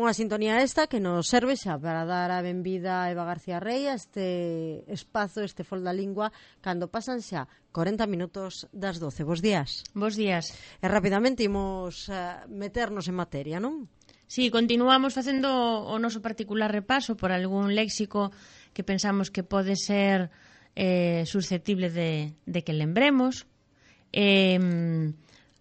Unha sintonía esta que nos serve xa para dar a benvida a Eva García Rey a este espazo, este Fol da Lingua, cando pasan xa 40 minutos das 12. Bos días. Bos días. E rapidamente imos meternos en materia, non? Sí, continuamos facendo o noso particular repaso por algún léxico que pensamos que pode ser susceptible de que lembremos,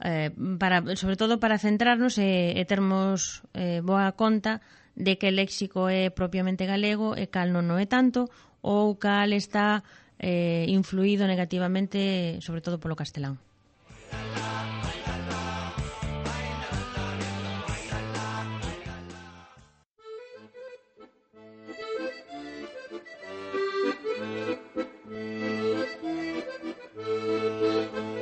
sobre todo para centrarnos e termos boa conta de que o léxico é propiamente galego e cal non o é tanto, ou cal está influído negativamente sobre todo polo castelán.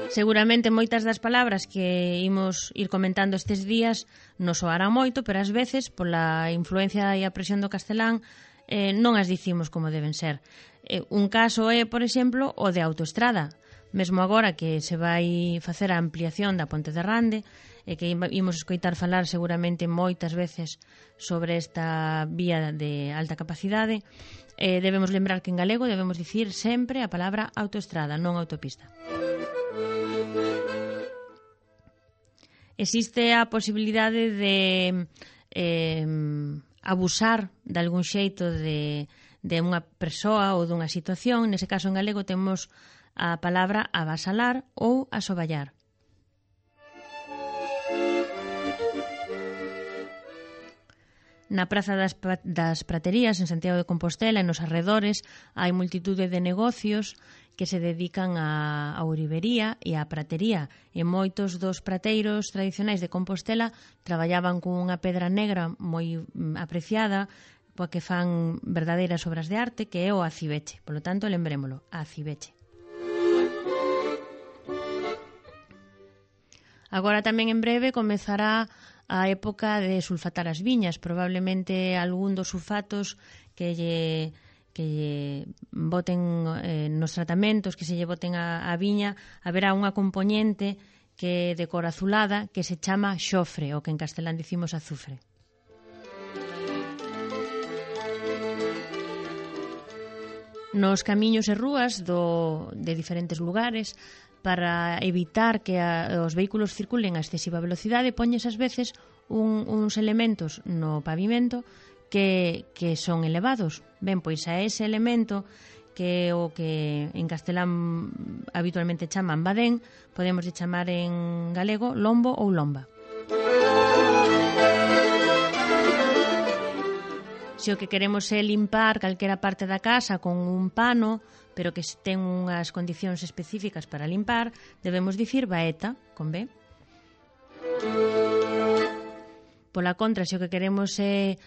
Seguramente moitas das palabras que imos ir comentando estes días nos soarán moito, pero ás veces, pola influencia e a presión do castelán, non as dicimos como deben ser. Un caso é, por exemplo, o de autoestrada. Mesmo agora que se vai facer a ampliación da Ponte de Rande, e que imos escoitar falar seguramente moitas veces sobre esta vía de alta capacidade, debemos lembrar que en galego debemos dicir sempre a palabra autoestrada, non autopista. Existe a posibilidade de abusar de algún xeito de unha persoa ou dunha situación. Nese caso en galego temos a palabra avasalar ou asoballar. Na Praza das Praterías, en Santiago de Compostela e nos arredores, hai multitude de negocios que se dedican á ourivería e á pratería. E moitos dos prateiros tradicionais de Compostela traballaban con unha pedra negra moi apreciada, poa que fan verdadeiras obras de arte, que é o acibeche. Por lo tanto, lembrémolo, acibeche. Agora tamén en breve comezará a época de sulfatar as viñas. Probablemente algún dos sulfatos que lle boten nos tratamentos, que se lle boten a viña, haberá unha componente que de cor azulada que se chama xofre, o que en castelán dicimos azufre. Nos camiños e rúas de diferentes lugares, para evitar que os vehículos circulen a excesiva velocidade, poñes ás veces uns elementos no pavimento que son elevados. Ben, pois a ese elemento, que é o que en castelán habitualmente chaman badén, podemos chamar en galego lombo ou lomba. Se o que queremos é limpar calquera parte da casa con un pano, pero que ten unhas condicións específicas para limpar, debemos dicir baeta, con B. Pola contra, se o que queremos é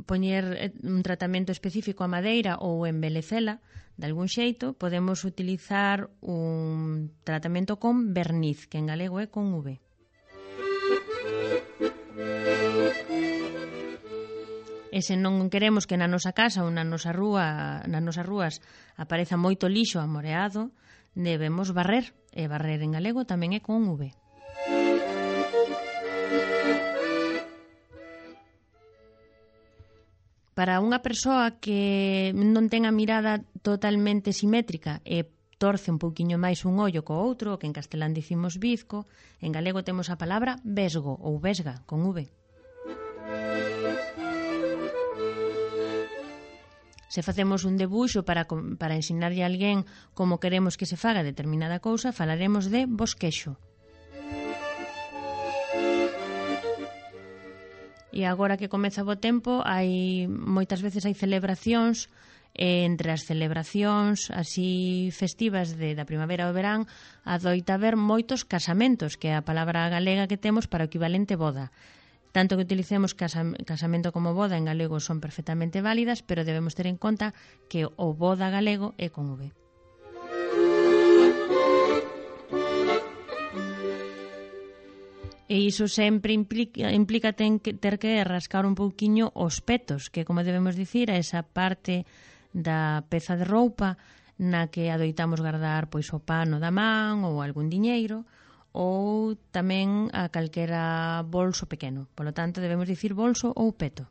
poñer un tratamento específico a madeira ou embelecela de algún xeito, podemos utilizar un tratamento con verniz, que en galego é con V. E se non queremos que na nosa casa ou nas nosas rúas apareza moito lixo amoreado, debemos barrer. E barrer en galego tamén é con V. Para unha persoa que non ten a mirada totalmente simétrica e torce un pouquiño máis un ollo co outro, que en castelán dicimos bizco, en galego temos a palabra vesgo ou vesga, con V. Se facemos un debuxo para ensinarlle a alguén como queremos que se faga determinada cousa, falaremos de bosquexo. E agora que comeza o tempo, moitas veces hai celebracións, e entre as celebracións así festivas da primavera ou verán, adoita haber moitos casamentos, que é a palabra galega que temos para o equivalente boda. Tanto que utilicemos casamento como boda en galego son perfectamente válidas, pero debemos ter en conta que o boda galego é con V. E iso sempre implica ter que rascar un pouquiño os petos, que como debemos dicir, a esa parte da peza de roupa na que adoitamos guardar pois o pano da man ou algún diñeiro, ou tamén a calquera bolso pequeno. Polo tanto, debemos dicir bolso ou peto.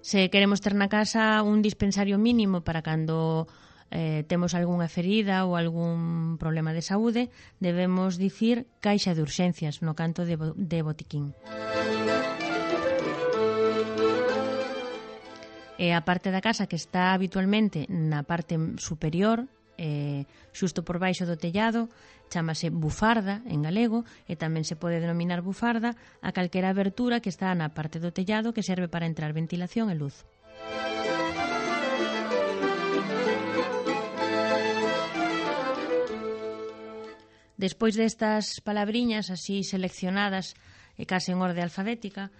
Se queremos ter na casa un dispensario mínimo para cando temos algunha ferida ou algún problema de saúde, debemos dicir caixa de urxencias no canto de botiquín. E a parte da casa que está habitualmente na parte superior, xusto por baixo do tellado, chámase bufarda en galego, e tamén se pode denominar bufarda a calquera abertura que está na parte do tellado que serve para entrar ventilación e luz. Despois destas palabriñas así seleccionadas e case en orde alfabética,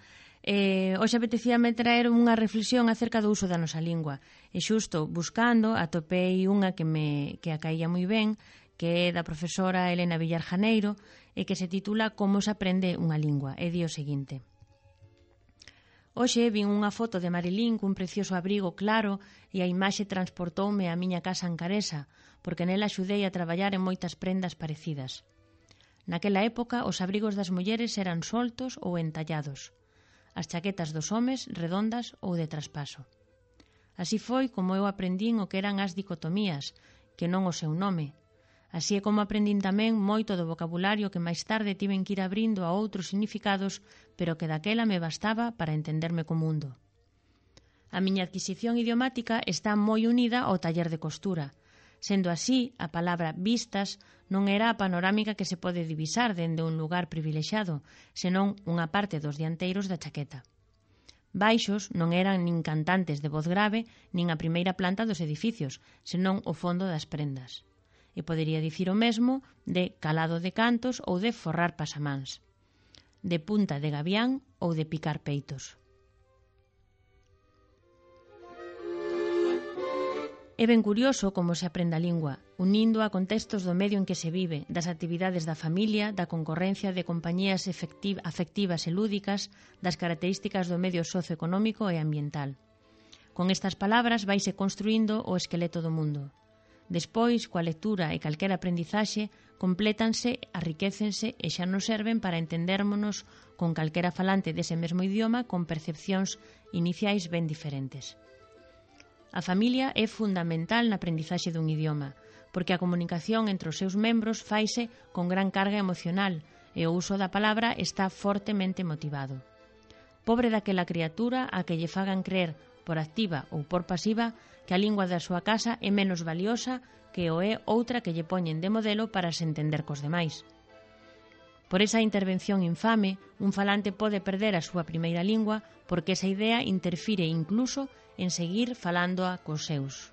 hoxe apetecíame traer unha reflexión acerca do uso da nosa lingua. E xusto buscando atopei unha que a caía moi ben, que é da profesora Elena Villar Janeiro, e que se titula Como se aprende unha lingua. E di o seguinte: hoxe vin unha foto de Marilín cun precioso abrigo claro e a imaxe transportoume á miña casa ancaresa, porque nela axudei a traballar en moitas prendas parecidas. Naquela época, os abrigos das mulleres eran soltos ou entallados, as chaquetas dos homes redondas ou de traspaso. Así foi como eu aprendín o que eran as dicotomías, que non o seu nome. Así é como aprendín tamén moito do vocabulario que máis tarde tiven que ir abrindo a outros significados, pero que daquela me bastaba para entenderme co mundo. A miña adquisición idiomática está moi unida ao taller de costura. Sendo así, a palabra vistas non era a panorámica que se pode divisar dende un lugar privilexiado, senón unha parte dos dianteiros da chaqueta. Baixos non eran nin cantantes de voz grave, nin a primeira planta dos edificios, senón o fondo das prendas. E podería dicir o mesmo de calado de cantos ou de forrar pasamáns, de punta de gavián ou de picar peitos. É ben curioso como se aprende a lingua, unindo a contextos do medio en que se vive, das actividades da familia, da concorrencia de compañías afectivas e lúdicas, das características do medio socioeconómico e ambiental. Con estas palabras vaise construindo o esqueleto do mundo. Despois, coa lectura e calquera aprendizaxe, complétanse, arriquécense e xa nos serven para entendérmonos con calquera falante dese mesmo idioma con percepcións iniciais ben diferentes. A familia é fundamental na aprendizaxe dun idioma, porque a comunicación entre os seus membros faise con gran carga emocional e o uso da palabra está fortemente motivado. Pobre daquela criatura a que lle fagan crer, por activa ou por pasiva, que a lingua da súa casa é menos valiosa que o é outra que lle poñen de modelo para se entender cos demais. Por esa intervención infame, un falante pode perder a súa primeira lingua porque esa idea interfire incluso en seguir falándoa cos seus.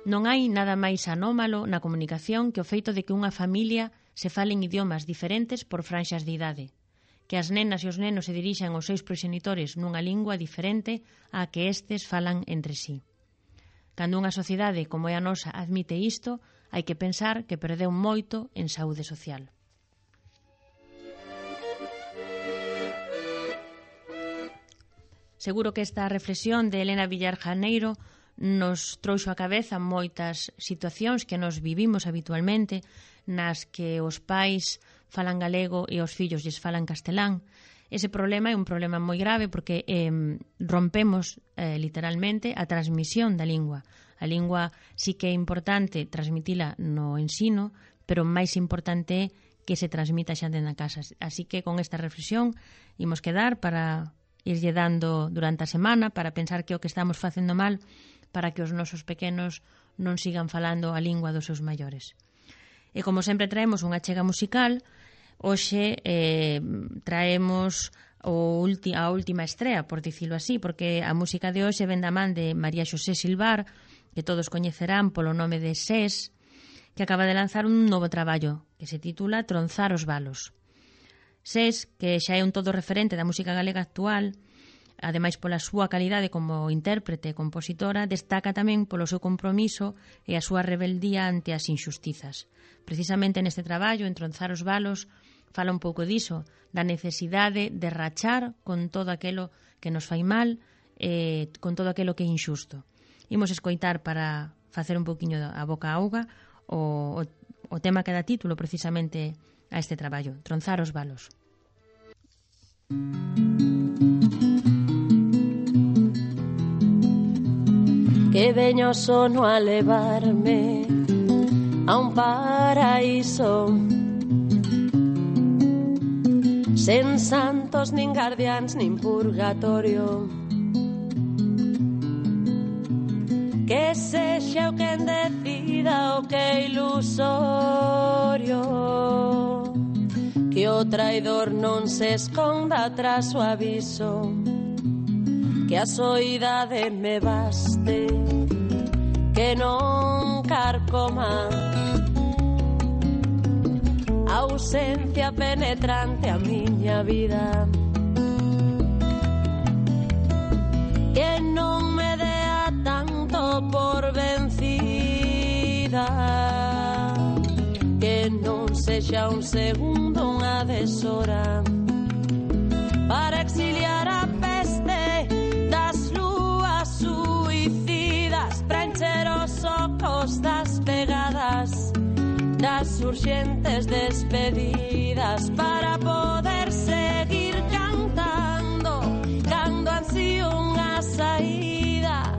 Non hai nada máis anómalo na comunicación que o feito de que unha familia se falen idiomas diferentes por franxas de idade, que as nenas e os nenos se dirixan aos seus proxenitores nunha lingua diferente á que estes falan entre sí. Cando unha sociedade como é a nosa admite isto, hai que pensar que perdeu moito en saúde social. Seguro que esta reflexión de Elena Villar Janeiro nos trouxo á cabeza moitas situacións que nos vivimos habitualmente, nas que os pais falan galego e os fillos lles falan castelán. Ese problema é un problema moi grave porque rompemos literalmente a transmisión da lingua. A lingua sí que é importante transmitila no ensino, pero máis importante é que se transmita xa na casa. Así que con esta reflexión imos quedar para irlle dando durante a semana para pensar que o que estamos facendo mal para que os nosos pequenos non sigan falando a lingua dos seus maiores. E como sempre traemos unha chega musical, hoxe traemos a última estrea, por dicilo así, porque a música de hoxe ven da man de María Xosé Silvar, que todos coñecerán polo nome de SES, que acaba de lanzar un novo traballo que se titula Tronzar os balos. SES, que xa é un todo referente da música galega actual, ademais pola súa calidade como intérprete e compositora, destaca tamén polo seu compromiso e a súa rebeldía ante as injustizas. Precisamente neste traballo, en Tronzar os balos, fala un pouco diso, da necesidade de rachar con todo aquilo que nos fai mal con todo aquilo que é injusto. Imos escoitar para facer un poquinho a boca a auga o tema que dá título precisamente a este traballo, Tronzar os valos. Que veño sono a levarme a un paraíso sen santos, nin guardiáns, nin purgatorio. Que sexa o quen decida o que é ilusorio, que o traidor non se esconda tras o aviso, que a soidade me baste, que non carcoma a ausencia penetrante a miña vida, que non me dea tanto por vencida, que non sexa un segundo unha deshora para exiliar a peste das lúas suicidas, para encher os ocos das pegadas, das urxentes despedidas, para poder seguir cantando cando ansío unha saída,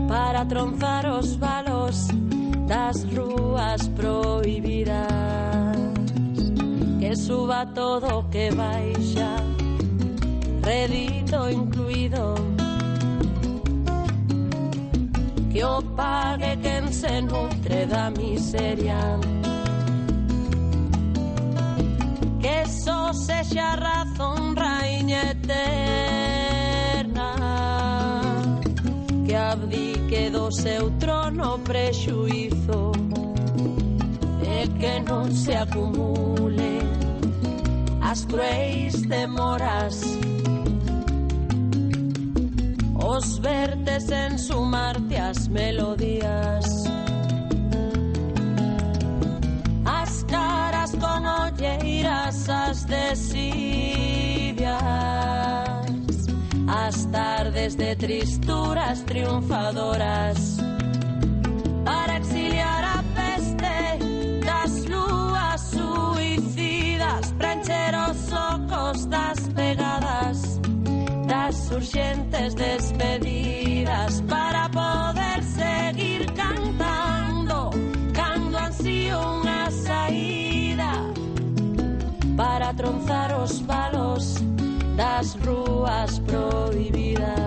para tronzar os valos das rúas prohibidas, que suba todo que baixa, rédito incluído, que o pague quen se nutre da miseria, que só sexa razón raíña eterna, que abdique do seu trono prexuízo, e que non se acumule as cruéis demoras, os vertes en sumarte as melodías, as caras con olleiras, as desidias, as tardes de tristuras triunfadoras, para exiliar a peste das lúas suicidas, para encher os ocos das pegadas, das urxentes despedidas, para poder seguir cantando cando ansío unha saída, para tronzar os valos das rúas prohibidas,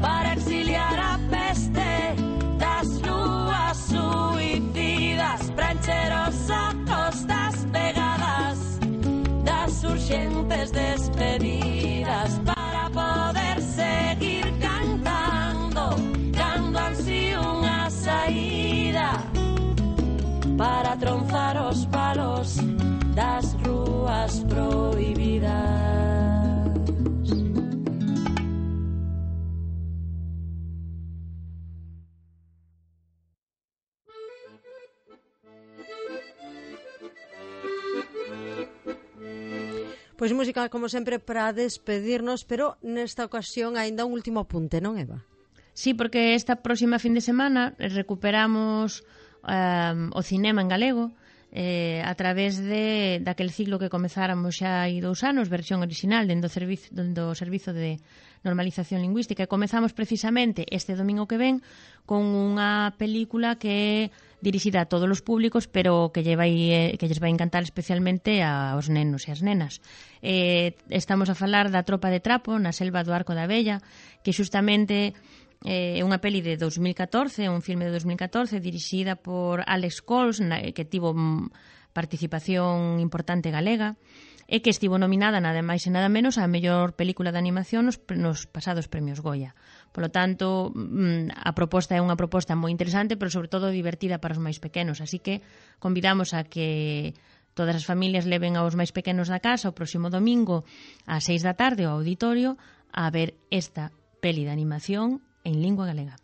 para exiliar a peste das lúas suicidas, para encher os ocos das pegadas, das urxentes despedidas, para poder seguir cantando cando ansío unha saída, para tronzar os valos das rúas prohibidas. Pois música, como sempre, para despedirnos, pero nesta ocasión aínda un último apunte, non, Eva? Sí, porque esta próxima fin de semana recuperamos o cinema en galego a través daquel ciclo que comezáramos xa hai 2 anos, versión original dentro do Servizo de Normalización Lingüística, e comezamos precisamente este domingo que ven con unha película que é dirixida a todos os públicos, pero que lles vai encantar especialmente aos nenos e as nenas. Estamos a falar da Tropa de Trapo na selva do Arco da Vella, que xustamente é unha peli de 2014, un filme de 2014 dirixida por Alex Coles, que tivo participación importante galega, e que estivo nominada nada máis e nada menos a mellor película de animación nos pasados premios Goya. Polo tanto, a proposta é unha proposta moi interesante, pero sobre todo divertida para os máis pequenos, así que convidamos a que todas as familias leven aos máis pequenos da casa o próximo domingo ás 6 da tarde ao auditorio a ver esta peli de animación en lingua galega.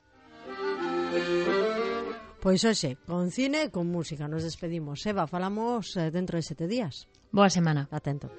Pois hoxe, con cine e con música nos despedimos. Eva, falamos dentro de 7 días. Boa semana. Atento.